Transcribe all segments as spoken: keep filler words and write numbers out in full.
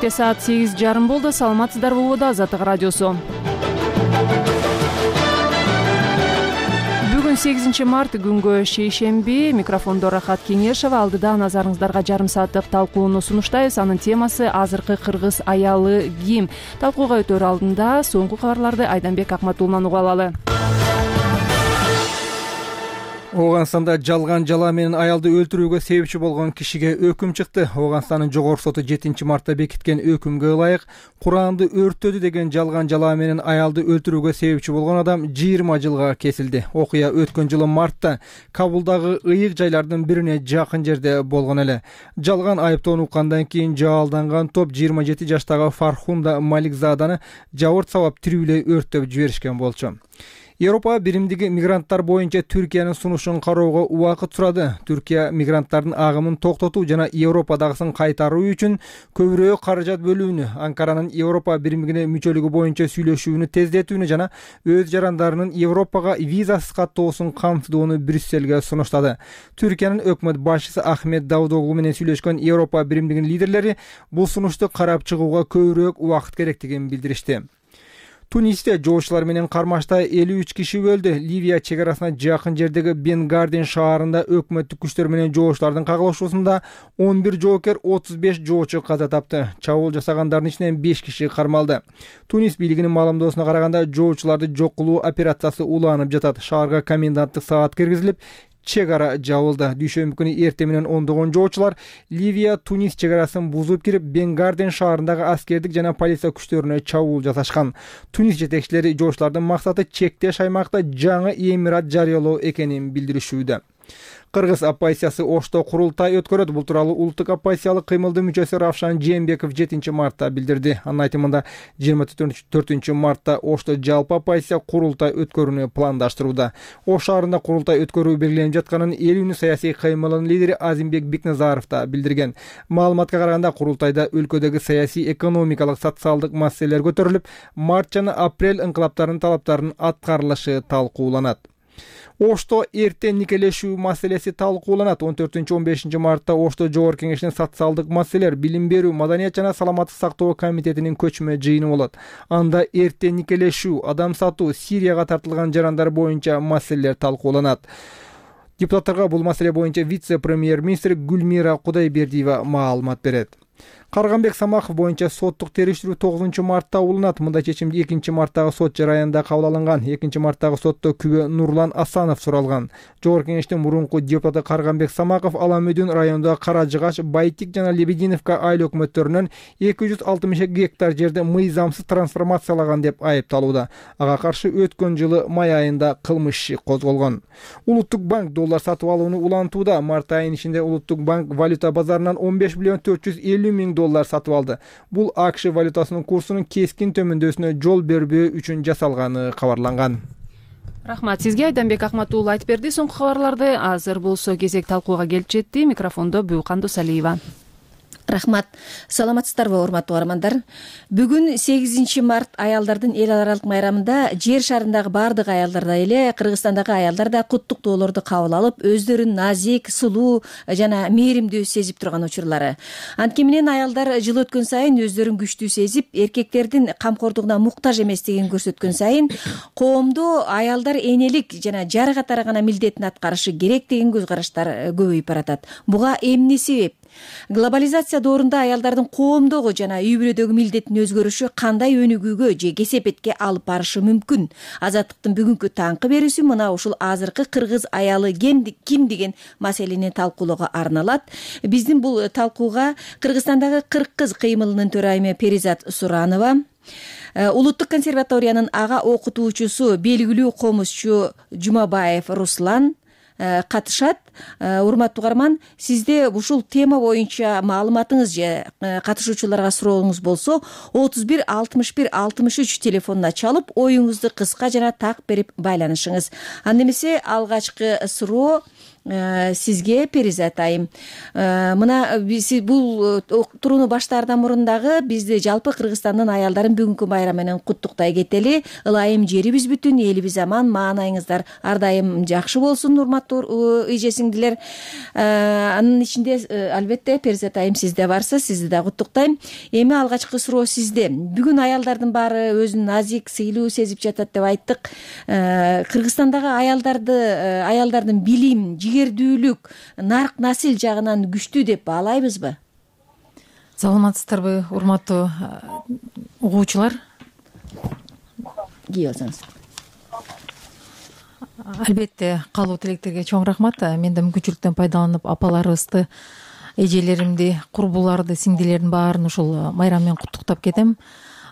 Бишкекте саат сегиз жарым болду. Саламатсыздарбы, убада Азаттык радиосу. Бүгүн сегизинчи март күнгө шейшемби. Микрофондо Рахат Кеңешева. Алдыда назарыңыздарга жарым сааттык талкууну сунуштайбыз. Анын темасы азыркы кыргыз аялы ким? Талкууга өтөр алдында соңку кабарларды Айданбек Акматуллунан угуп алалы. Ооганстанда жалган жала менен аялды өлтүрүүгө себепчи болгон кишиге өкүм чыкты. Ооганстандын жогорку соту жетинчи мартта бекиткен өкүмгө ылайык Куранды өрттөдү деген жалган жала менен аялды өлтүрүүгө себепчи болгон адам жыйырма жылга кесилди. Окуя өткөн жылы мартта Кабулдагы ыйык жайлардын бирине жакын жерде болгон эле. Жалган айыптоону уккандан кийин жаалданган топ жыйырма жети жаштагы Фархунда Маликзаданы жабырт сабап тирүүлөй өрттөп жиберишкен болчу. Европа биримдиги мигранттар боюнча Түркиянын сунушун кароого убакыт сурады. Түркия мигранттардын агымын токтотуу жана Европадагысын кайтаруу үчүн көбүрөөк каражат бөлүүнү, Анкаранын Европа биримдигине мүчөлүгү боюнча сүйлөшүүнү тездетүүнү жана өз жарандарынын Европага визасыз каттоосун камтыдууну Брюссельге сунуштады. Түркиянын өкмөт башчысы Ахмет Давутоглу менен сүйлөшкөн Европа биримдигинин лидерлери бул сунушту карап чыгууга көбүрөөк убакыт керектигин билдиришти. Тунисте жоочулар менен кармашта элүү үч киши өлдү. Ливия чек арасына жакын жердеги Бенгарден шаарында өкмөттүк күчтөр менен жоочулардын кагылышуусунда он бир жоокер, отуз беш жоочу каза тапты. Чабуул жасагандардын ичинен беш киши кармалды. Тунис бийлигинин маалымдоосуна караганда жоочуларды жок кылуу операциясы уланып жатат. Шаарга коменданттык саат киргизилип, чек ара жабылды. Дүйшөмбү күнү эртең менен ондогон жоочулар Ливия Тунис чек арасын бузуп кирип, Бенгарден шаарындагы аскердик жана полиция күчтөрүнө чабуул жасашкан. Тунис жетекчилери жоочулардын максаты чектеш аймакта жаңы эмират жарыялоо экенин билдиришүүдө. Кыргыз оппозициясы Ошто курултай өткөрөт. Бул тууралуу улуттук оппозициялык кыймылдын мүчөсү Равшан Жээнбеков жетинчи мартта билдирди. Анын айтымында жыйырма төртүнчү мартта Ошто жалпы оппозиция курултай өткөрүүнү пландаштырууда. Ош шаарында курултай өткөрүү белгиленип жатканын эл үнү саясий кыймылынын лидери Азимбек Бикназаров да билдирген. Маалыматка караганда курултайда өлкөдөгү саясий, экономикалык, социалдык маселелер көтөрүлүп, март жана апрель инкылаптарынын талаптарынын аткарылышы талкууланат. Ошто эртең никелешүү маселеси талкууланат. он төртүнчү он бешинчи мартта Ошто жогорку кеңешинин социалдык маселелер, билим берүү, маданият жана саламаттык сактоо комитетинин көчмө жыйыны болот. Анда эртең никелешүү, адам сатуу, Сирияга тартылган жарандар боюнча маселелер талкууланат. Депутаттарга бул маселе боюнча вице-премьер-министр Гүлмира Кудайбердиева маалымат берет. Карганбек Самахов боюнча соттук териштирүү тогузунчу мартта уланат. Мындай чечимди экинчи марттагы сот жараянда кабыл алынган. экинчи марттагы сотто күбө Нурлан Асанов суралган. Жогорку кеңештин мурунку депутаты Карганбек Самахов Аламөдүн районундагы Каражыгаш, Байтик жана Лебединовка айыл өкмөттөрүнөн эки жүз алтымыш эки гектар жерди мыйзамсыз трансформациялаган деп айыпталууда. Ага каршы өткөн жылы май айында кылмыш иши козголгон. Улуттук банк доллар сатып алууну улантууда. Март айынын ичинде Улуттук банк валюта базарынан он беш миллион төрт жүз элүү миң доллар сатып алды. Бул АКШ валютасынын курсунун кескин төмөндөсүнө жол бербөө үчүн жасалганы кабарланган. Рахмат сизге, Айданбек Акматуллу айтып берди соңку кабарларды. Азыр болсо кезек талкууга келип жетти. Микрофондо Бүйкан Досалиева. Рахмат. Саламатсыздарбы, урматтуу угармандар. Бүгүн сегизинчи март аялдардын эл аралык майрамында жер шарындагы бардык аялдардай эле Кыргызстандагы аялдар да куттуктоолорду кабыл алып, өздөрүн назик, сулуу жана мээримдүү сезип турган учурлары. Анткени менен аялдар жыл өткөн сайын өздөрүн күчтүү сезип, эркектердин камкордугуна муктаж эместигин көрсөткөн сайын коомдо аялдар энелик жана жар катары гана милдетин аткарышы керек деген көз караштар көбөйүп баратат. Буга эмне себеп? Глобализация доорунда аялдардын коомдогу жана үй бүлөдөгү милдетин өзгөрүшү кандай өнүгүүгө же кесепетке алып барышы мүмкүн? Азаттыктын бүгүнкү таңкы берүүсү мына ушул азыркы кыргыз аялы ким деген маселени талкуулоого арналат. Биздин бул талкууга Кыргызстандагы кырк кыз кыймылынын төрайымы Перизат Суранова, Улуттук консерваториянын ага окутуучусу белгилүү комузчу Жумабаев Руслан катышат. Урматтуу угарман, сизде ушул тема боюнча маалыматыңыз же катышуучуларга сурооңуз болсо отуз бир алтымыш бир алтымыш үч телефонуна чалып, оюңузду кыска жана так берип байланышыңыз. Анда эмесе алгачкы суроо сизге Перизат айым. Мына биз бул турууну баштаардан мурун дагы бизди жалпы Кыргызстандын аялдарын бүгүнкү байрам менен куттуктай кетели. Ылайым жерибиз бүтүн, элибиз аман, маанайыңыздар ар дайым жакшы болсун, урматтуу эже сиңдилер. Анын ичинде албетте Перизат айым сизде барса, сизди да куттуктайм. Эми алгачкы суроо сизде. Бүгүн аялдардын баары өзүн назик, сыйлуу сезип жатат деп айттык. Кыргызстандагы аялдарды аялдардын билим, жигердүүлүк, нарк насил жагынан күчтүү деп баалайбызбы? Саламатсыздарбы, урматтуу угуучулар? Кээ болсоңуз. Албетте, каалоо тилектерге чоң рахмат. Мен да мүмкүнчүлүктөн пайдаланып апаларыбызды, эжелеримди, курбуларды, сиңдилердин баарын ушул майрам менен куттуктап кетем.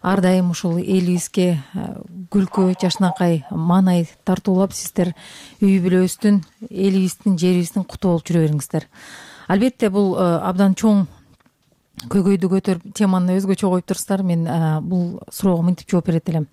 Ар дайым ушул элибизге күлкү, жашнакай, маанай тартуулап сиздер үй бүлөбүздүн, элибиздин, жерибиздин куту болуп жүрө бериңиздер. Албетте, бул абдан чоң көйгөйдү көтөрүп теманы өзгөчө коюп турсуздар. Мен бул суроого мынтип жооп берет элем.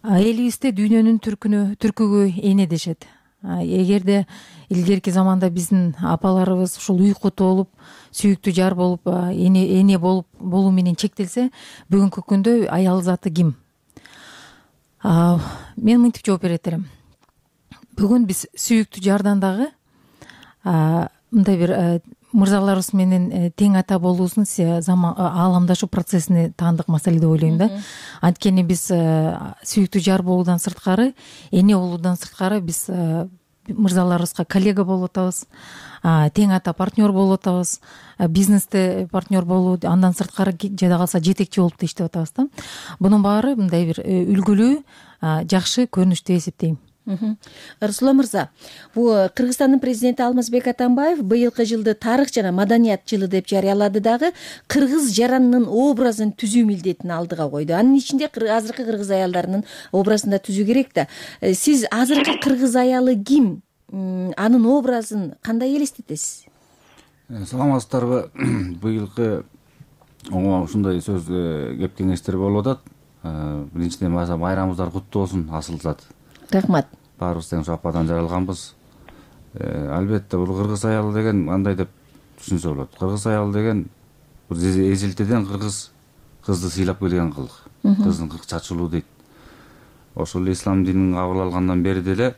Элибизде дүйнөнүн түркүнө, түркүгө эне дешет. Эгерде илгерки заманда биздин апаларыбыз ушул үй куту болуп, сүйүктүү жар болуп, эне эне болуп болуу менен чектелсе, бүгүнкү күндө аял заты ким? Мен мынтип жооп берет элем. Бүгүн биз сүйүктүү жардан дагы мындай бир мырзаларыбыз менен тең ата болуубуздун ааламдашуу процессине таандык маселе деп ойлойм да. Анткени биз сүйүктүү жар болуудан сырткары, эне болуудан сырткары биз мырзаларыбызга коллега болуп атабыз, тең ата партнер болуп атабыз, бизнесте партнер болуу, андан сырткары жада калса жетекчи болуп да иштеп атабыз да. Бунун баары мындай бир үлгүлүү, жакшы көрүнүш деп эсептейм. Расулан мырза, бул Кыргызстандын президенти Алмазбек Атамбаев быйылкы жылды тарых жана маданият жылы деп жарыялады дагы, кыргыз жаранынын образын түзүү милдетин алдыга койду. Анын ичинде азыркы кыргыз аялдарынын образын да түзүү керек да. Сиз азыркы кыргыз аялы ким? Анын образын кандай элестетесиз? Саламатсыздарбы? Быйылкы ушундай сөз кеп кеңештер болуп атат. Биринчиден майрамыңыздар куттуу болсун, асыл зат. Рахмат. Баарыбыз тең ападан жаралганбыз. Албетте, бул кыргыз аялы деген кандай деп түшүнсө болот. Кыргыз аялы деген эзилтеден кыргыз кызды сыйлап келген кылык. Кыздын кырк чачылуу дейт. Ошол ислам динин кабыл алгандан бери деле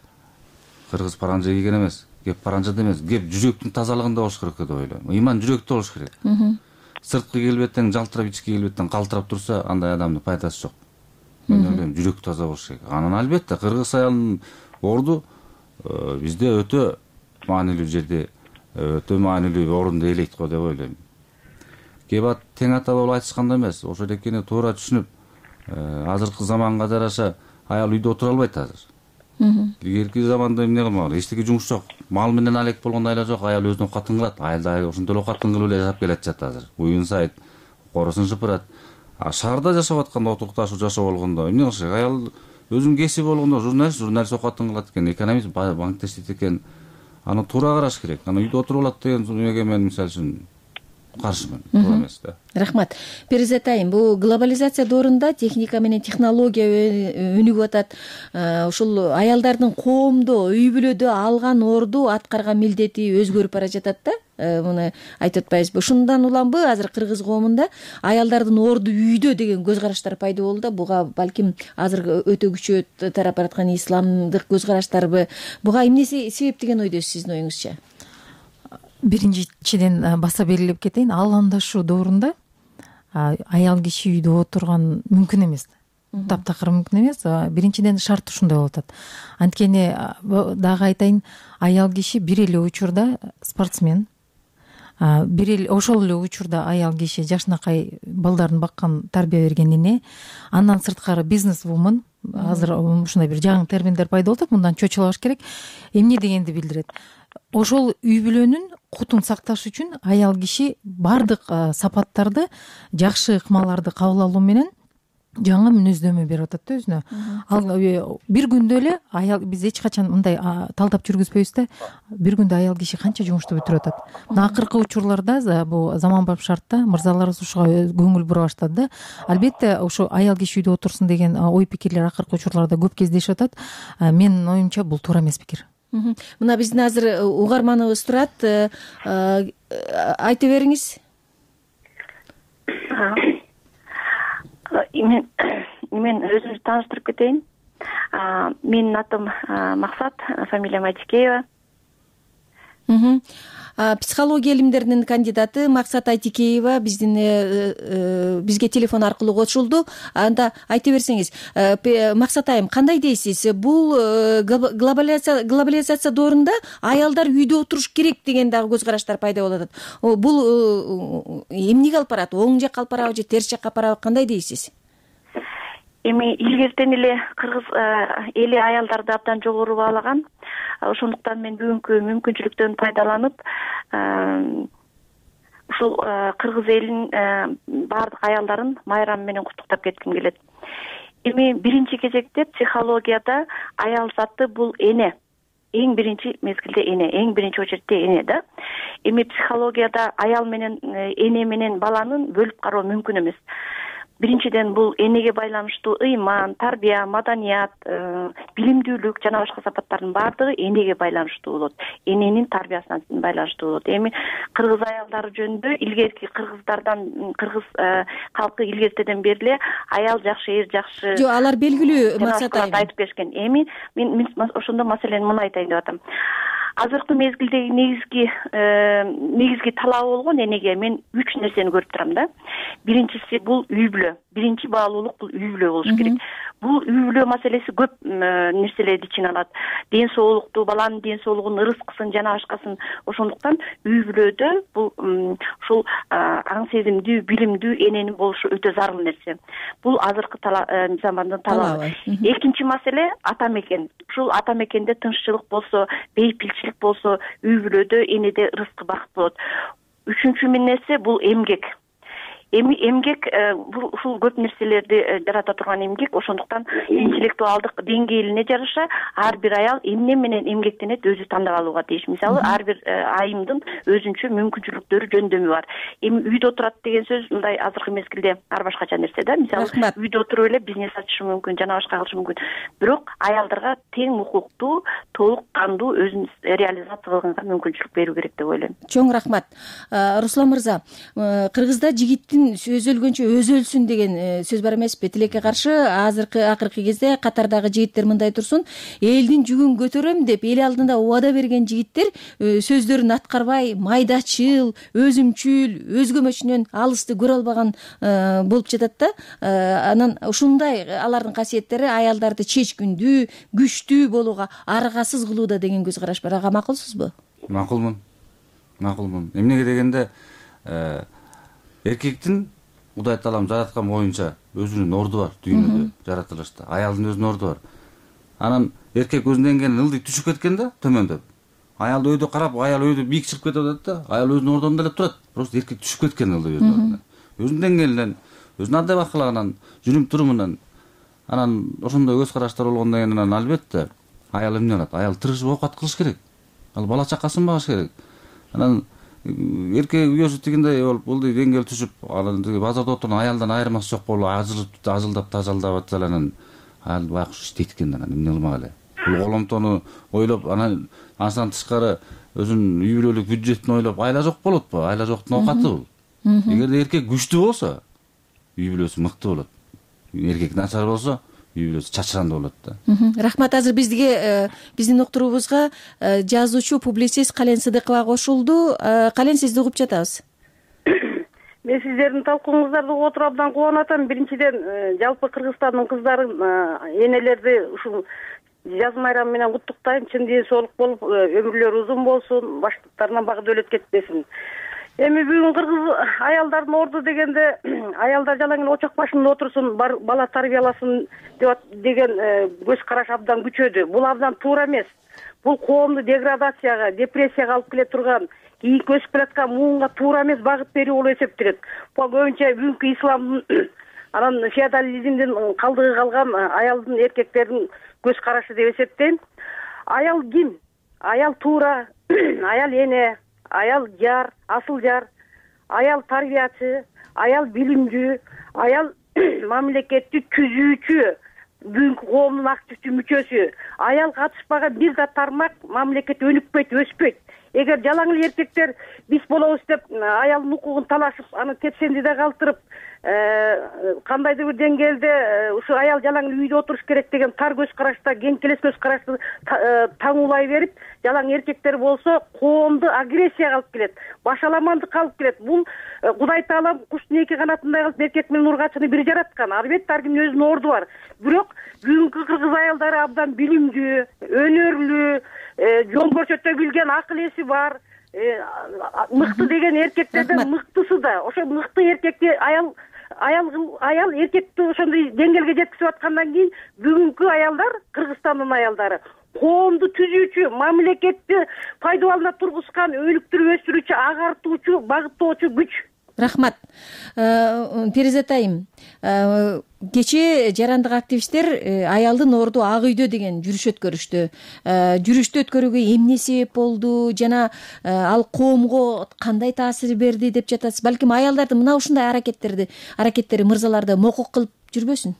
кыргыз паранжа кийген эмес, кеп паранжада эмес, кеп жүрөктүн тазалыгында болуш керек деп ойлойм. Ыйман жүрөктө болуш керек. Сырткы келбеттен жалтырап, ички келбеттен калтырап турса, андай адамдын пайдасы жок. Мен ойлойм, жүрөк таза болуш керек. Анан албетте кыргыз аялынын орду бизде өтө маанилүү жерде, өтө маанилүү орунду ээлейт го деп ойлойм. Кебат тең ата болуп айтышканда эмес, ошол экени туура түшүнүп, азыркы заманга жараша аял үйдө отура албайт азыр. Илгерки заманда эмне кылмаган, эчтеке жумуш жок. Мал менен алек болгон айла жок, аял өзүнө катын кылат. Аял да ошондой эле катын кылып эле жашап келатат азыр. Уюн сайыт, коросун шыпырат. А шаарда жашап атканда, отукташуу жашоо болгондо эмне кылыш керек? Аял өзүнүн кесиби болгондо журналист, журналист окатын кылат экен, экономист, банкте иштейт экен. Аны туура караш керек. Аны үйдө отуруп алат деген эмеге мен мисалы үчүн каршымын. Туура эмес да. Рахмат. Перизат айым, бул глобализация доорунда техника менен технология өнүгүп атат. Ушул аялдардын коомдо, үй бүлөдө алган орду, аткарган милдети өзгөрүп бара жатат да. Муну айтып атпайбызбы? Ушундан уламбы азыр кыргыз коомунда аялдардын орду үйдө деген көз караштар пайда болду да. Буга балким азыр өтө күчөп тарап бараткан исламдык көз караштарбы? Буга эмне себеп деген ойдосуз сиздин оюңузча? Биринчиден баса белгилеп кетейин, ааламдашуу доорунда аял киши үйдө отурган мүмкүн эмес. Таптакыр мүмкүн эмес. Биринчиден шарт ушундай болуп атат. Анткени дагы айтайын, аял киши бир эле учурда спортсмен, бир эле ошол эле учурда аял киши жашнакай балдарын баккан, тарбия берген эне, андан сырткары бизнес-вумен. Азыр ушундай бир жаңы терминдер пайда болуп атат, мындан чочулабаш керек. Эмне дегенди билдирет? Ошол үй бүлөнүн кутун сакташ үчүн аял киши бардык сапаттарды, жакшы ыкмаларды кабыл алуу менен жаңы мүнөздөмө берип атат да өзүнө. Ал бир күндө эле аял, биз эч качан мындай талдап жүргүзбөйбүз да, бир күндө аял киши канча жумушту бүтүрүп атат. Мына акыркы учурларда бул заманбап шартта мырзаларыбыз ушуга көңүл бура баштады да. Албетте, ошо аял киши үйдө отурсун деген ой пикирлер акыркы учурларда көп кездешип атат. Менин оюмча бул туура эмес пикир. Мына биздин азыр угарманыбыз турат, айта бериңиз. Мен мен өзүмдү тааныштырып кетейин. Менин атым Максат, фамилиям Айтикеева. Психология илимдеринин кандидаты Максат Айтикеева биздин бизге телефон аркылуу кошулду. Анда айта берсеңиз, Максат айым, кандай дейсиз? Бул глобализация глобализация доорунда аялдар үйдө отуруш керек деген дагы көз караштар пайда болуп атат. Бул эмнеге алып барат? Оң жакка алып барабы же терс жакка алып барабы? Кандай дейсиз? Эми илгертен эле кыргыз эли аялдарды абдан жогору баалаган. Ошондуктан мен бүгүнкү мүмкүнчүлүктөн пайдаланып, ушул кыргыз элинин баардык аялдарын майрамы менен куттуктап кетким келет. Эми биринчи кезекте психологияда аял заты бул эне. Эң биринчи мезгилде эне, эң биринчи очередте эне да. Эми психологияда аял менен эне менен баланын бөлүп кароо мүмкүн эмес. Биринчиден бул энеге байланыштуу ыйман, тарбия, маданият, билимдүүлүк жана башка сапаттардын баардыгы энеге байланыштуу болот. Эненин тарбиясына байланыштуу болот. Эми кыргыз аялдары жөнүндө илгерки кыргыздардан, кыргыз калкы илгертеден бери аял жакшы, эр жакшы. Жок, алар белгилүү Максат айым айтып беришкен. Эми мен ошондо маселени муну айтайын деп атам. Азыркы мезгилдеги негизги негизги талабы болгон энеге мен үч нерсени көрүп турам да. Биринчиси бул үй бүлө. Биринчи баалуулук бул үй бүлө болуш керек. Бул үй бүлө маселеси көп нерселерди ичине алат. Ден соолукту, баланын ден соолугун, ырыскысын жана башкасын. Ошондуктан үй бүлөдө бул ушул аң сезимдүү, билимдүү эненин болушу өтө зарыл нерсе. Бул азыркы замандын талабы. Экинчи маселе ата мекен. Ушул ата мекенде тынччылык болсо, бейпилчилик болсо, үй бүлөдө энеде ырыскы бакыт болот. Үчүнчү нерсе бул эмгек. Эми эмгек бул ушул көп нерселерди жарата турган эмгек. Ошондуктан интеллектуалдык деңгээлине жараша ар бир аял эмне менен эмгектенет өзү тандап алууга тийиш. Мисалы, ар бир айымдын өзүнчө мүмкүнчүлүктөрү, жөндөмү бар. Эми үйдө отурат деген сөз мындай азыркы мезгилде ар башкача нерсе да. Мисалы, үйдө отуруп эле бизнес ачышы мүмкүн, жана башка кылышы мүмкүн. Бирок аялдарга тең укуктуу, толук кандуу өзүн реализация кылганга мүмкүнчүлүк берүү керек деп ойлойм. Чоң рахмат. Руслан мырза, Кыргызда жигиттин сөз өлгөнчө өзү өлсүн деген сөз бар эмеспи? Тилекке каршы азыркы акыркы кезде катардагы жигиттер мындай турсун, элдин жүгүн көтөрөм деп эл алдында убада берген жигиттер сөздөрүн аткарбай, майдачыл, өзүмчүл, өзгөмөчүнөн алысты көрө албаган болуп жатат да. Анан ушундай алардын касиеттери аялдарды чечкиндүү, күчтүү болууга, аргасыз кылууда деген көз караш бар. Ага макулсузбу? Макулмун. Макулмун. Эмнеге дегенде эркектин Кудай таалам жараткан боюнча өзүнүн орду бар дүйнөдө, жаратылышта. Аялдын өзүнүн орду бар. Анан эркек өзүнөн келген ылдый түшүп кеткен да, төмөндөп. Аял өйдө карап, аял өйдө бийик чыгып кетип атат да, аял өзүнүн ордунда эле турат. Просто эркек түшүп кеткен ылдый өзүнүн ордуна. Өзүнүн деңгээлинен, өзүнүн адап акылагынан, жүрүм турумунан, анан ошондой көз караштар болгондон кийин анан албетте аял эмне кылат? Аял тырышып оокат кылыш керек. Ал бала чакасын багыш керек. Анан эркек үйөсү тигиндей болуп, бул деңгээл түшүп, анан базарда отурган аялдан айырмасы жок болуп, ажылып, ажылдап, тажалдап атса эле анан аял байкуш иштейт экен, анан эмне кылмак эле. Бул коломтону ойлоп, анан андан тышкары өзүнүн үй бүлөлүк бюджетин ойлоп, айла жок болотпу? Айла жоктун оокаты бул. Эгерде эркек күчтүү болсо, үй бүлөсү мыкты болот. Эркек начар болсо, үй бүлөсү чачырандуу болот да. Рахмат. Азыр бизге биздин уктуруубузга жазуучу, публицист Кален Сыдыкова кошулду. Кален, сизди угуп жатабыз. Мен сиздердин талкууңуздарды угуп отуруп абдан кубанып атам. Биринчиден жалпы Кыргызстандын кыздарын, энелерди ушул жаз майрамы менен куттуктайм. Чын ден соолук болуп, өмүрлөрү узун болсун, баштарынан бак дөөлөт кетпесин. Эми бүгүн кыргыз аялдардын орду дегенде аялдар жалаң эле очок башында отурсун, бала тарбияласын деген көз караш абдан күчөдү. Бул абдан туура эмес. Бул коомду деградацияга, депрессияга алып келе турган, кийинки өсүп келаткан муунга туура эмес багыт берүү болуп эсептелет. Бул көбүнчө бүгүнкү исламдын анан феодализмдин калдыгы калган аялдын, эркектердин көз карашы деп эсептейм. Аял ким? Аял туура, аял эне, аял жар, асыл жар, аял тарбиячы, аял билимдүү, аял мамлекетти түзүүчү, бүгүнкү коомдун активдүү мүчөсү. Аял катышпаган бир да тармак мамлекет өнүкпөйт, өспөйт. Эгер жалаң эле эркектер биз болобуз деп аялдын укугун талашып, аны тепсендиде калтырып, кандайдыр бир деңгээлде ушу аял жалаң эле үйдө отуруш керек деген тар көз карашта, кеңкелес көз карашты таңуулай берип, жалаң эркектер болсо коомду агрессияга алып келет, башаламандыкка алып келет. Бул Кудай Таала куштун эки канатындай кылып эркек менен ургачыны бир жараткан. Албетте ар кимдин өзүнүн орду бар. Бирок бүгүнкү кыргыз аялдары абдан билимдүү, өнөрлүү, жол көрсөтө билген, акыл эси бар. Мыкты деген эркектерден мыктысы да. Ошо мыкты эркекти аял аял аял эркекти ошондой деңгээлге жеткизип аткандан кийин бүгүнкү аялдар, Кыргызстандын аялдары коомду түзүүчү, мамлекетти пайдалана тургузган, өнүктүрүп өстүрүүчү, агартуучу, багыттоочу күч. Рахмат. Перизат айым, кечээ жарандык активисттер аялдын орду ак үйдө деген жүрүш өткөрүштү. Жүрүштү өткөрүүгө эмне себеп болду жана ал коомго кандай таасир берди деп жатасыз? Балким аялдардын мына ушундай аракеттерди, аракеттери мырзаларды мокок кылып жүрбөсүн?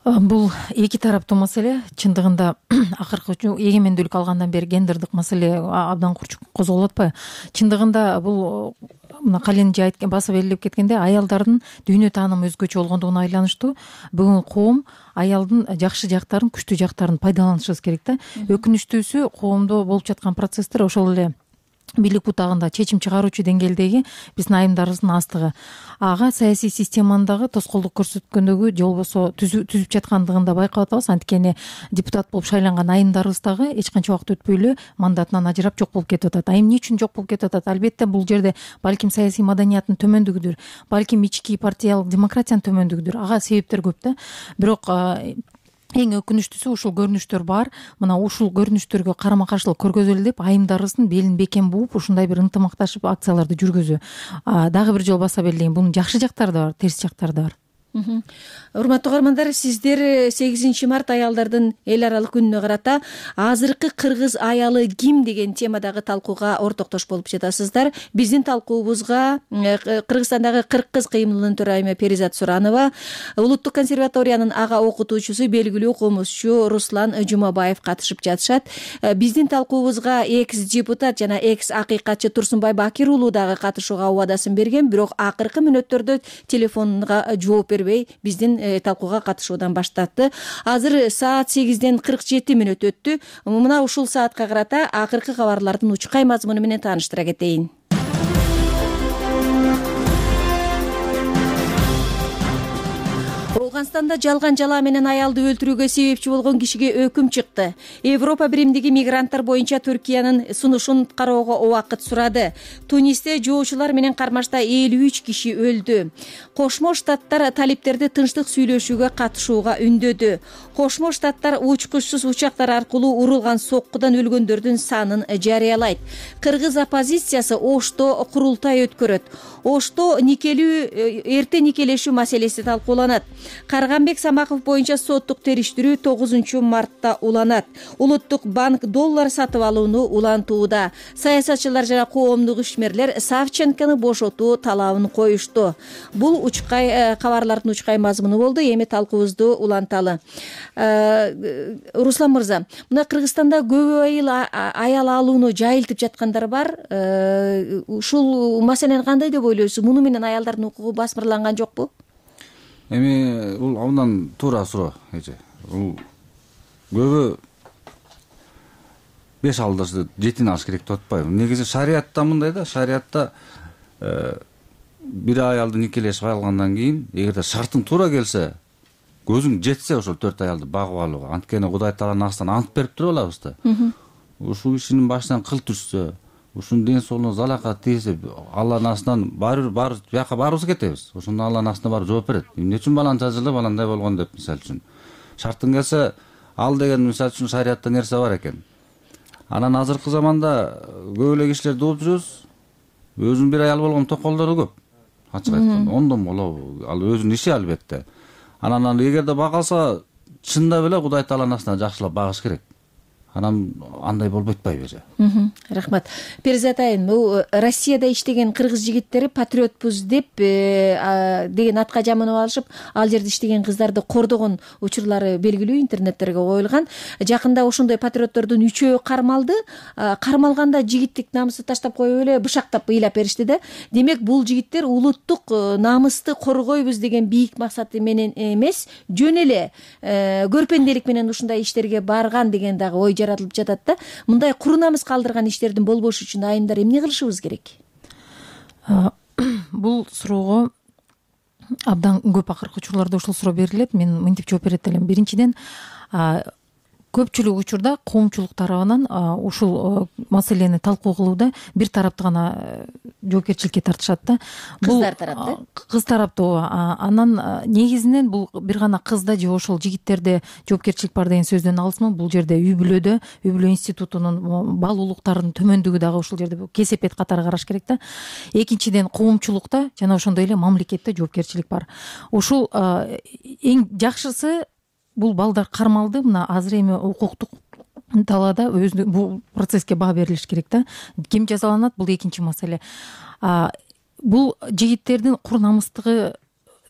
Бул эки тараптуу маселе. Чындыгында акыркы эгемендүүлүк алгандан бери гендердик маселе абдан курчуп козголуп атпайбы? Чындыгында бул мына Кален же айткан, басып элдеп кеткенде, аялдардын дүйнө таанымы өзгөчө болгондугуна айланыштуу. Бүгүн коом аялдын жакшы жактарын, күчтүү жактарын пайдаланышыбыз керек да. Өкүнүчтүүсү, коомдо болуп жаткан процесстер ошол эле бийлик бутагында чечим чыгаруучу деңгээлдеги биздин айымдарыбыздын астыгы. Ага саясий системанын дагы тоскоолдук көрсөткөндөгү же болбосо түзүп жаткандыгын да байкап атабыз. Анткени депутат болуп шайланган айымдарыбыз дагы эч канча убакыт өтпөй эле мандатынан ажырап жок болуп кетип атат. Айым эмне үчүн жок болуп кетип атат? Албетте бул жерде балким саясий маданияттын төмөндүгүдүр, балким ички партиялык демократиянын төмөндүгүдүр. Ага себептер көп да. Бирок эң өкүнүчтүүсү ушул көрүнүштөр бар. Мына ушул көрүнүштөргө карама каршылык көргөзөлү деп айымдарыбыздын белин бекем бууп ушундай бир ынтымакташып акцияларды жүргүзүү. Дагы бир жолу баса белгилейин, бунун жакшы жактары да бар, терс жактары да бар. Урматтуу угармандар, сиздер сегизинчи март аялдардын эл аралык күнүнө карата азыркы кыргыз аялы ким деген темадагы талкууга ортоктош болуп жатасыздар. Биздин талкуубузга Кыргызстандагы кырк кыз кыймылынын төрайымы Перизат Суранова, Улуттук консерваториянын ага окутуучусу, белгилүү комузчу Руслан Жумабаев катышып жатышат. Биздин талкуубузга экс депутат жана экс акыйкатчы Турсунбай Бакир уулу дагы катышууга убадасын берген, бирок акыркы мүнөттөрдө телефонунга жооп бербей биздин талкууга катышуудан баш тартты. Азыр саат сегизден кырк жети мүнөт өттү. Мына ушул саатка карата акыркы кабарлардын учкай мазмуну менен тааныштыра кетейин. Афганстанда жалган жала менен аялды өлтүрүүгө себепчи болгон кишиге өкүм чыкты. Европа биримдиги мигранттар боюнча Түркиянын сунушун кароого убакыт сурады. Тунисте жоочулар менен кармашта элүү үч киши өлдү. Кошмо Штаттар талиптерди тынчтык сүйлөшүүгө катышууга үндөдү. Кошмо Штаттар учкучсуз учактар аркылуу урулган соккудан өлгөндөрдүн санын жарыялайт. Кыргыз оппозициясы Ошто курултай өткөрөт. Ошто никелүү эрте никелешүү маселеси талкууланат. Карганбек Самаков боюнча соттук териштирүү тогузунчу мартта уланат. Улуттук банк доллар сатып алууну улантууда. Саясатчылар жана коомдук ишмерлер Савченкону бошотуу талабын коюшту. Бул учкай кабарлардын учкай мазмуну болду. Эми талкуубузду уланталы. Руслан мырза, мына Кыргызстанда көп айыл аял алууну жайылтып жаткандар бар. Ушул маселени кандай деп ойлойсуз? Муну менен аялдардын укугу басмырланган жокпу? Эми бул абдан туура суроо эже. Бул көбү беш алдашты жетин алыш керек деп атпайбы? Негизи шариатта мындай да, шариатта бир аялды никелешип алгандан кийин, эгерде шартың туура келсе, көзүң жетсе ошол төрт аялды багып алууга, анткени Кудай Тааланын астынан ант берип туруп алабыз да. Ушул кишинин башынан кыл түшсө, ушунун ден соолугуна залака тийсе, Алланын астынан баары баары бияка баарыбыз кетебиз. Ошондо Алланын астына барып жооп берет. Эмне үчүн баланы жазылып, баландай болгон деп, мисалы үчүн. Шартың келсе, ал деген мисалы үчүн шариатта нерсе бар экен. Анан азыркы заманда көп эле кишилерди угуп жүрөбүз. Өзүнүн бир аял болгон токолдору көп. Ачык айтканда, ондон болобу? Ал өзүнүн иши албетте. Анан эгерде багалса, чындап эле Кудай Тааланын астына жакшылап багыш керек. анан андай болбойт атпайбы же. Рахмат. Перизат айым, бул Россияда иштеген кыргыз жигиттери патриотпуз деп деген атка жаманып алышып, ал жерде иштеген кыздарды кордогон учурлары белгилүү интернеттерге коюлган. Жакында ошондой патриоттордун үчөө кармалды. Кармалганда жигиттик намысты таштап коюп эле бышактап ыйлап беришти да. Демек, бул жигиттер улуттук намысты коргойбуз деген бийик максаты менен эмес, жөн эле көрпенделик менен ушундай иштерге барган деген дагы ой жаратылып жатат да. Мындай куру намыс калдырган иштердин болбошу үчүн айымдар эмне кылышыбыз керек? Бул суроого абдан көп акыркы учурларда ушул суроо берилет. Мен мынтип жооп берет элем. Биринчиден, көпчүлүк учурда коомчулук тарабынан ушул маселени талкуу кылууда бир тарапты гана жоопкерчиликке тартышат да. Кыздар тарапты. Кыз тарапты. Анан негизинен бул бир гана кызда же ошол жигиттерде жоопкерчилик бар деген сөздөн алысмын. Бул жерде үй бүлөдө, үй бүлө институтунун бал улуктарынын төмөндүгү дагы ушул жерде кесепет катары караш керек да. Экинчиден, коомчулукта жана ошондой эле мамлекетте жоопкерчилик бар. Ушул эң жакшысы, бул балдар кармалды. Мына азыр эми укуктук талаада өзү бул процесске баа берилиш керек да. Ким жазаланат, бул экинчи маселе. Бул жигиттердин кур намыстыгы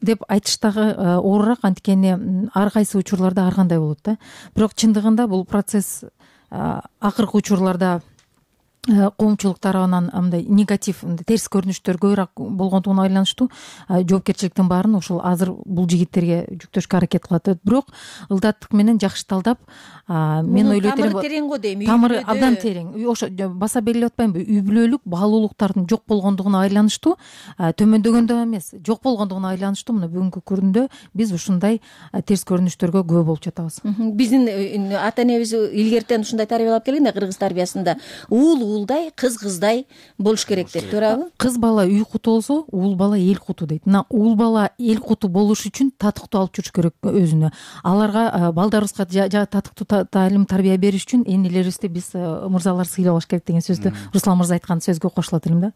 деп айтыш дагы оорураак, анткени ар кайсы учурларда ар кандай болот да. Бирок чындыгында бул процесс акыркы учурларда коомчулук тарабынан мындай негатив, терс көрүнүштөр көбүрөөк болгондугуна байланыштуу жоопкерчиликтин баарын ушул азыр бул жигиттерге жүктөшкө аракет кылат. Бирок ылдаттык менен жакшы талдап, мен ойлойт элем, тамыры терең го дейм. Тамыры абдан терең. Ошо баса белгилеп атпаймынбы? Үй бүлөлүк баалуулуктардын жок болгондугуна байланыштуу, төмөндөгөндө эмес, жок болгондугуна байланыштуу мына бүгүнкү күндө биз ушундай терс көрүнүштөргө күбө болуп жатабыз. Биздин ата энебиз илгертен ушундай тарбиялап келген да, кыргыз тарбиясында. Уул уулдай, кыз кыздай болуш керек деп, туурабы? Кыз бала үй куту болсо, уул бала эл куту дейт. Мына уул бала эл куту болуш үчүн татыктуу алып жүрүш керек өзүнө. Аларга, балдарыбызга татыктуу таалим тарбия бериш үчүн энелерибизди биз мырзалар сыйлабаш керек деген сөздү Руслан мырза айткан сөзгө кошулат элем да.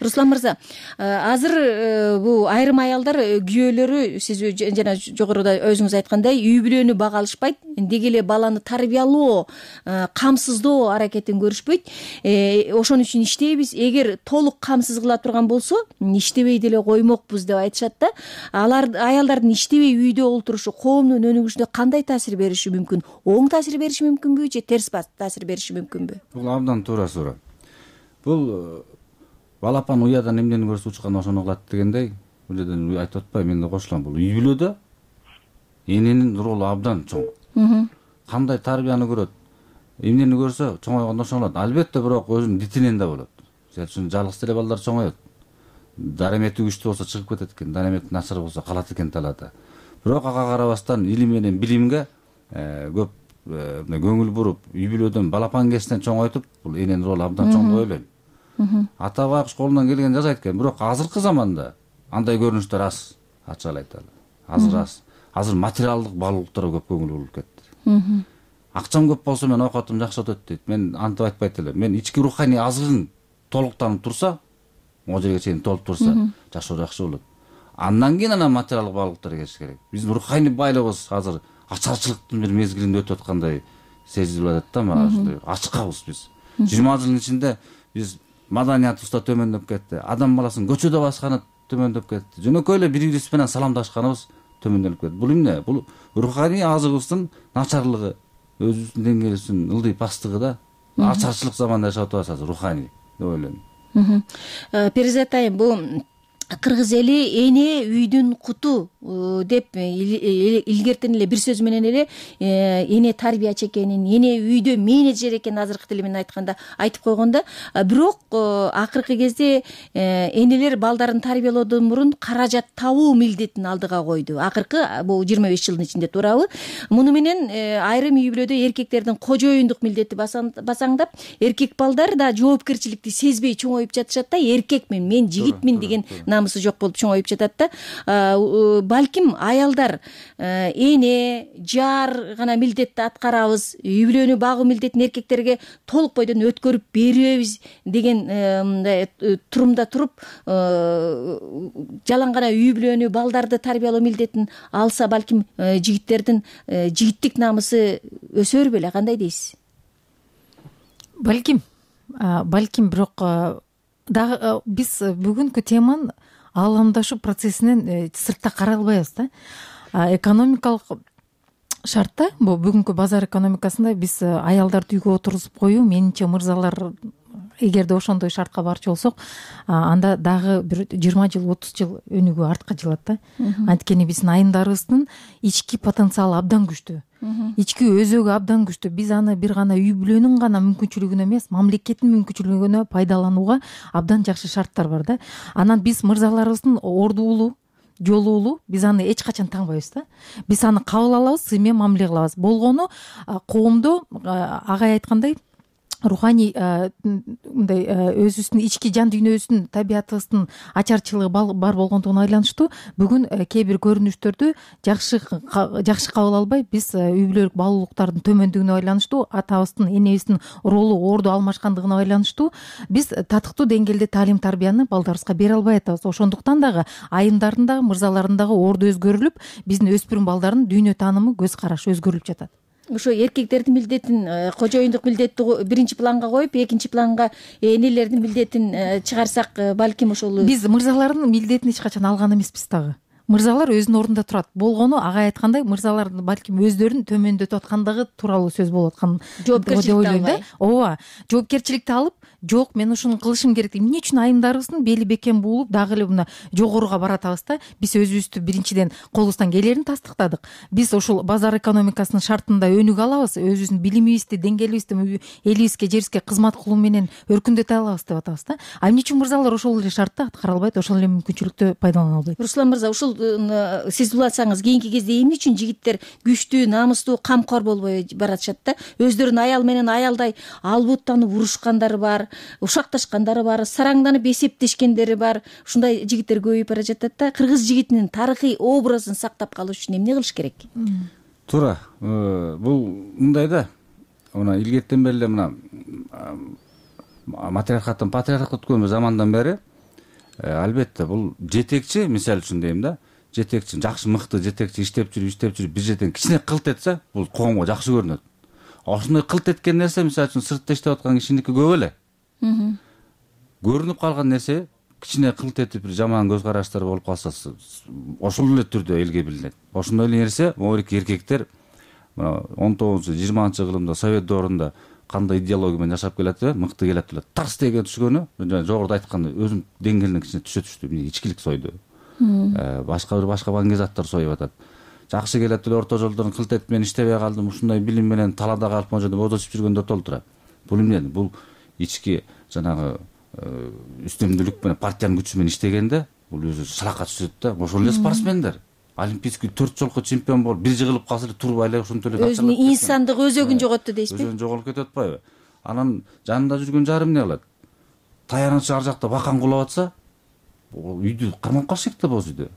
Руслан мырза, азыр бул айрым аялдар күйөөлөрү, сиз жана жогоруда өзүңүз айткандай, үй бүлөнү бага алышпайт, деги эле баланы тарбиялоо, камсыздоо аракетин көрүшпөйт. Ошон үчүн иштейбиз. Эгер толук камсыз кыла турган болсо, иштебей деле коймокпуз деп айтышат да. Алар аялдардын иштебей үйдө олтурушу коомдун өнүгүшүнө кандай таасир бериши мүмкүн? Оң таасир бериши мүмкүнбү же терс таасир бериши мүмкүнбү? Бул абдан туура суроо. Бул балапан уядан эмнени көрсө учкан ошону кылат дегендей, бул жерден айтып атпайм, мен да кошулам. Бул үй бүлөдө эненин ролу абдан чоң. Кандай тарбияны көрөт, эмнени көрсө чоңойгондо ошону кылат. Албетте, бирок өзүнүн дитинен да болот. Мисалы үчүн жалгыз деле балдар чоңоет. Даремети күчтүү болсо чыгып кетет экен, даремети начар болсо калат экен талаада. Бирок ага карабастан илим менен билимге көп мына көңүл буруп, үй бүлөдөн балапан кесинен чоңойтуп, бул эненин ролу абдан чоң деп ойлойм. Ата байкуш колунан келген жасайт экен, бирок азыркы заманда андай көрүнүштөр аз, ачык эле айталы. Азыр аз. Азыр материалдык баалуулуктарга көп көңүл бурулуп кетти. Акчам көп болсо мен оокатым жакшы өтөт дейт. Мен антип айтпайт элем. Мен ички руханий азыгың толуктанып турса, могу жерге чейин толуп турса, жашоо жакшы болот. Андан кийин анан материалдык баалуулуктар келиш керек. Биздин руханий байлыгыбыз азыр ачарчылыктын бир мезгилинде өтүп аткандай сезилип атат да, мага ушундай ачкабыз биз. жыйырма жылдын ичинде биз маданиятыбыз да төмөндөп кетти. Адам баласынын көчөдө басканы төмөндөп кетти. Жөнөкөй эле бири бириз менен саламдашканыбыз төмөндөп кетти. Бул эмне? Бул руханий азыгыбыздын начарлыгы, өзүбүздүн деңгээлибиздин ылдый пасттыгы да. Ачарчылык заманда жашап атабыз азыр, руханий деп ойлойм. Перизат айым, бул кыргыз эли эне үйдүн куту деп илгертен эле бир сөз менен эле эне тарбиячы экенин, эне үйдө менеджер экенин азыркы тили менен айтканда айтып койгондо, бирок акыркы кезде энелер балдарын тарбиялоодон мурун каражат табуу милдетин алдыга койду. Акыркы бул жыйырма беш жылдын ичинде, туурабы? Муну менен айрым үй бүлөдө эркектердин кожоюндук милдети басаңдап, эркек балдар да жоопкерчиликти сезбей чоңоюп жатышат да. Эркекмин, мен жигитмин деген намысы жок болуп чоңоюп жатат да. Балким аялдар эне, жар гана милдетти аткарабыз, үй бүлөнү багуу милдетин эркектерге толук бойдон өткөрүп беребиз деген мындай турумда туруп, жалаң гана үй бүлөнү, балдарды тарбиялоо милдетин алса, балким жигиттердин жигиттик намысы өсөр беле, кандай дейсиз? балким балким бирок дагы биз бүгүнкү теманын ааламдашуу процессинен сыртта карай албайбыз да. Экономикалык шартта, бул бүгүнкү базар экономикасында биз аялдарды үйгө отургузуп коюу, менимче мырзалар эгерде ошондой шартка барчу болсок, анда дагы бир жыйырма жыл отуз жыл өнүгүү артка жылат да. Анткени биздин айымдарыбыздын ички потенциалы абдан күчтүү, ички өзөгү абдан күчтүү. Биз аны бир гана үй бүлөнүн гана мүмкүнчүлүгүнө эмес, мамлекеттин мүмкүнчүлүгүнө пайдаланууга абдан жакшы шарттар бар да. Анан биз мырзаларыбыздын ордуулуу, жолуулуу, биз аны эч качан таңбайбыз да. Биз аны кабыл алабыз, сы менен мамиле кылабыз. Болгону коомдо агай айткандай руханий мындай өзүбүздүн ички жан дүйнөбүздүн, табиятыбыздын ачарчылыгы бар болгондугуна байланыштуу бүгүн кээ бир көрүнүштөрдү жакшы жакшы кабыл албай, биз үй бүлөлүк баалуулуктардын төмөндүгүнө байланыштуу, атабыздын, энебиздин ролу, орду алмашкандыгына байланыштуу биз татыктуу деңгээлде таалим тарбияны балдарыбызга бере албай атабыз. Ошондуктан дагы айымдардын дагы мырзалардын дагы орду өзгөрүлүп, биздин өспүрүм балдардын дүйнө таанымы, көз карашы өзгөрүлүп жатат. Ошо эркектердин милдетин, кожоюндук милдетти биринчи планга коюп, экинчи планга энелердин милдетин чыгарсак, балким ошол биз мырзалардын милдетин эч качан алган эмеспиз дагы. Мырзалар өзүнүн ордунда турат. Болгону агай айткандай, мырзалардын балким өздөрүн төмөндөтүп аткандыгы тууралуу сөз болуп аткан деп ойлойм да. Ооба, жоопкерчиликти алып, жок, мен ушуну кылышым керек деп, эмне үчүн айымдарыбыздын бели бекем буулуп, дагы эле мына жогоруга баратабыз да. Биз өзүбүздү биринчиден колубуздан келерин тастыктадык. Биз ушул базар экономикасынын шартында өнүгө алабыз, өзүбүздүн билимибизди, деңгээлибизди элибизге, жерибизге кызмат кылуу менен өркүндөтө алабыз деп атабыз да. А эмне үчүн мырзалар ошол эле шартты аткара албайт, ошол эле мүмкүнчүлүктү пайдалана албайт? Руслан мырза, ушул сиз улантсаңыз, кийинки кезде эмне үчүн жигиттер күчтүү, намыстуу, камкор болбой баратышат да? Өздөрүн аял менен аялдай албуттанып урушкандары бар, ушакташкандары бар, сараңданып эсептешкендери бар. Ушундай жигиттер көбөйүп бара жатат да. Кыргыз жигитинин тарыхый образын сактап калыш үчүн эмне кылыш керек? Туура, бул мындай да. Мына илгертен бери эле мына матриархаттан патриархатка өткөн замандан бери албетте бул жетекчи, мисалы үчүн дейм да, жетекчи, жакшы мыкты жетекчи иштеп жүрүп, иштеп жүрүп бир жерден кичине кылт этсе, бул коомго жакшы көрүнөт. Ошондой кылт эткен нерсе, мисалы үчүн сыртта иштеп аткан кишиники көп эле. Көрүнүп калган нерсе кичине кылт этип бир жаман көз караштар болуп калса, ошол эле түрдө элге билинет. Ошондой эле нерсе могуки эркектер мына он тогузунчу жыйырманчы кылымда совет доорунда кандай идеология менен жашап келат, мыкты келет эле. Тарс деген түшкөнү, жогоруда айткандай, өзүм деңгээлине кичине түшө түштү, эмне ичкилик сойду. Башка бир башка баңгезаттар союп атат. Жакшы келет эле, орто жолдон кылт этип мен иштебей калдым, ушундай билим менен талаада калып могу жерде бодосуп жүргөндөр толтура. Бул эмне? Бул ички жанагы үстөмдүүлүк менен, партиянын күчү менен иштегенде бул өзү шалакка түшөт да. Ошол эле спортсмендер олимпийский төрт жолку чемпион болуп, бир жыгылып калса эле турбай эле ошонтип эле өзүнүн инсандык өзөгүн жоготту дейсизби? Өзүн жоголуп кетип атпайбы? Анан жанында жүргөн жарым эмне кылат? Таянычы ар жакта бакан кулап атса, үйдү кармап калыш керек да боз үйдө.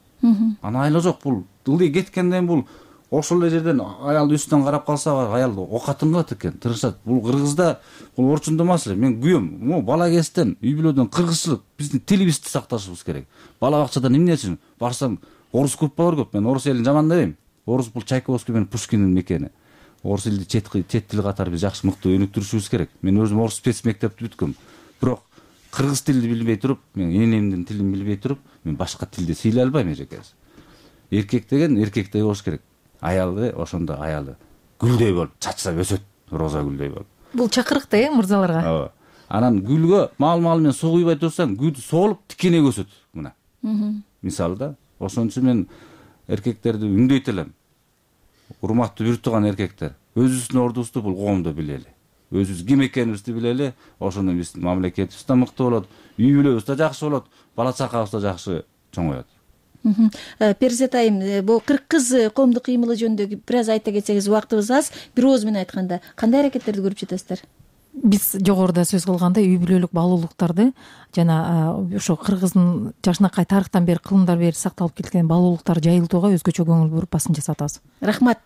Анан айла жок, бул ылдый кеткенден бул ошол эле жерден аялды үстүнөн карап калса, аял окатын кылат экен, тырышат. Бул Кыргызда бул орчундуу маселе. Мен күйөм, могу бала кезден үй бүлөдөн кыргызчылык, биздин тилибизди сакташыбыз керек. Бала бакчадан эмне үчүн барсаң, орус группалар көп. Мен орус элин жамандабайм. Орус бул Чайковский менен Пушкиндин мекени. Орус элди чет чет тил катары биз жакшы мыкты өнүктүрүшүбүз керек. Мен өзүм орус спец мектепти бүткөм. Бирок кыргыз тилди билбей туруп, мен энемдин тилин билбей туруп, мен башка тилди сыйлай албайм эжекеси. Эркек деген эркектей болуш керек. Аялды ошондо аялы гүлдөй болуп чачса өсөт, роза гүлдөй болуп. Бул чакырык да, э, мырзаларга. Ооба. Анан гүлгө мал-мал менен суу куйбай турсаң, гүл соолуп тикене өсөт мына. Мисалы да, ошон үчүн мен эркектерди үндөйт элем. Урматтуу бир тууган эркектер, өзүбүздүн ордубузду бул коомдо билели. Өзүбүз ким экенибизди билели, ошондо биздин мамлекетибиз да мыкты болот, үй бүлөбүз да жакшы болот, бала чакабыз да жакшы чоңоет. Перизат айым, бул кыргыз коомдук кыймылы жөнүндө бир аз айта кетсеңиз, убактыбыз аз. Бир ооз менен айтканда, кандай аракеттерди көрүп жатасыздар? Биз жогоруда сөз кылгандай, үй бүлөлүк баалуулуктарды жана ошо кыргыздын жашынакай тарыхтан бери, кылымдар бери сакталып келген баалуулуктарды жайылтууга өзгөчө көңүл буруп басым жасап атабыз. Рахмат.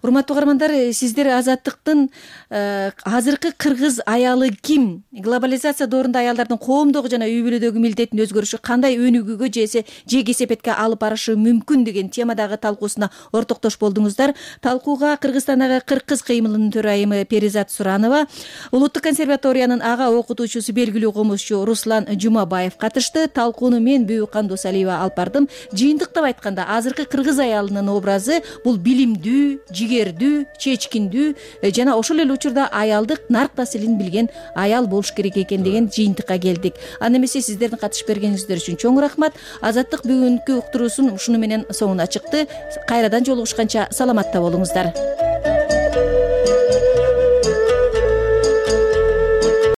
Урматтуу угармандар, сиздер Азаттыктын азыркы кыргыз аялы ким? Глобализация доорунда аялдардын коомдогу жана үй бүлөдөгү милдетин өзгөрүшү кандай өнүгүүгө же же кесепетке алып барышы мүмкүн деген темадагы талкуусуна ортоктош болдуңуздар. Талкууга Кыргызстандагы кыргыз кыймылынын төрайымы Перизат Суранова, Улуу улуттук консерваториянын ага окутуучусу, белгилүү комузчу Руслан Жумабаев катышты. Талкууну мен Бүбү Кандосалиева алып бардым. Жыйынтыктап айтканда, азыркы кыргыз аялынын образы бул билимдүү, жигердүү, чечкиндүү жана ошол эле учурда аялдык нарк таасирин билген аял болуш керек экен деген жыйынтыкка келдик. Анда эмесе сиздердин катышып бергениңиздер үчүн чоң рахмат. Азаттык бүгүнкү уктуруусун ушуну менен соңуна чыкты. Кайрадан жолугушканча саламатта болуңуздар.